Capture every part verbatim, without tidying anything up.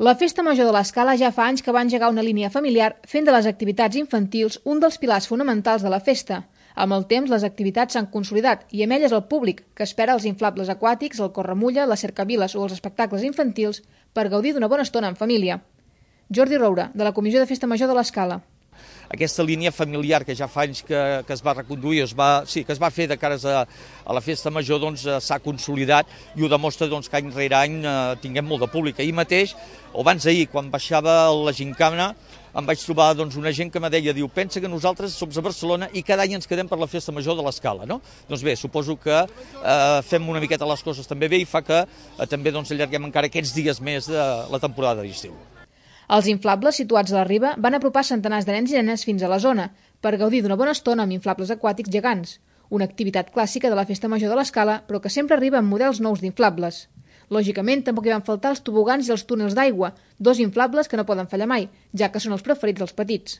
La Festa Major de l'Escala ja fa anys que va engegar una línia familiar fent de les activitats infantils un dels pilars fonamentals de la festa. Amb el temps, les activitats s'han consolidat i amb elles el públic, que espera els inflables aquàtics, el corremulla, les cercaviles o els espectacles infantils per gaudir d'una bona estona en família. Jordi Roura, de la Comissió de Festa Major de l'Escala. Aquesta línia familiar que ja fa anys que, que es va reconduir, es va, sí, que es va fer de cares a, a la festa major, doncs s'ha consolidat i ho demostra doncs, que any rere any eh, tinguem molt de públic. Ahir mateix, o abans d'ahir, quan baixava la gincana, em vaig trobar doncs, una gent que me deia, diu, pensa que nosaltres som a Barcelona i cada any ens quedem per la festa major de l'Escala, no? Doncs bé, suposo que eh, fem una miqueta les coses també bé i fa que eh, també doncs, allarguem encara aquests dies més de la temporada d'estiu. Els inflables situats a la riba van apropar centenars de nens i nenes fins a la zona per gaudir d'una bona estona amb inflables aquàtics gegants, una activitat clàssica de la Festa Major de l'Escala, però que sempre arriba amb models nous d'inflables. Lògicament, tampoc hi van faltar els tobogans i els túnels d'aigua, dos inflables que no poden fallar mai, ja que són els preferits dels petits.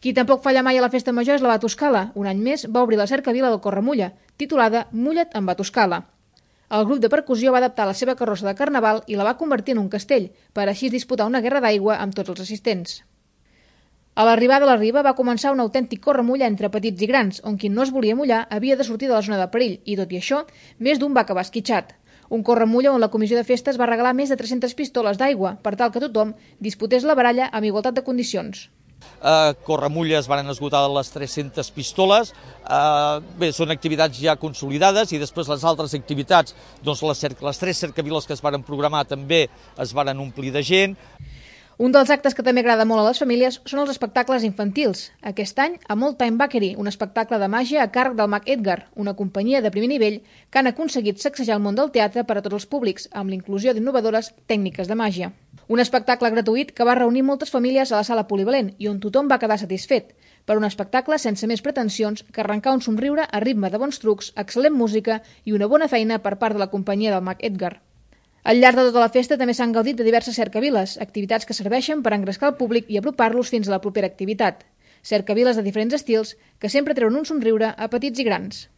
Qui tampoc falla mai a la Festa Major és la Batoscala. Un any més va obrir la cercavila del Corremulla, titulada Mulla't amb Batoscala. El grup de percussió va adaptar la seva carrossa de carnaval i la va convertir en un castell, per així disputar una guerra d'aigua amb tots els assistents. A l'arribada a la riba va començar un autèntic corremulla entre petits i grans, on qui no es volia mullar havia de sortir de la zona de perill, i tot i això, més d'un va acabar esquitxat. Un corremulla on la comissió de festes va regalar més de tres-centes pistoles d'aigua, per tal que tothom disputés la baralla amb igualtat de condicions. Uh, corremulles van esgotar les tres-centes pistoles, uh, bé, són activitats ja consolidades i després les altres activitats, doncs les, les tres cercaviles que es varen programar també es varen omplir de gent. Un dels actes que també agrada molt a les famílies són els espectacles infantils. Aquest any, a Old Time Bakery, un espectacle de màgia a càrrec del mag Edgar, una companyia de primer nivell que han aconseguit sacsejar el món del teatre per a tots els públics, amb l'inclusió d'innovadores tècniques de màgia. Un espectacle gratuït que va reunir moltes famílies a la sala polivalent i on tothom va quedar satisfet, per un espectacle sense més pretensions que arrencar un somriure a ritme de bons trucs, excel·lent música i una bona feina per part de la companyia del mag Edgar. Al llarg de tota la festa també s'han gaudit de diverses cercaviles, activitats que serveixen per engrescar el públic i apropar-los fins a la propera activitat. Cercaviles de diferents estils que sempre treuen un somriure a petits i grans.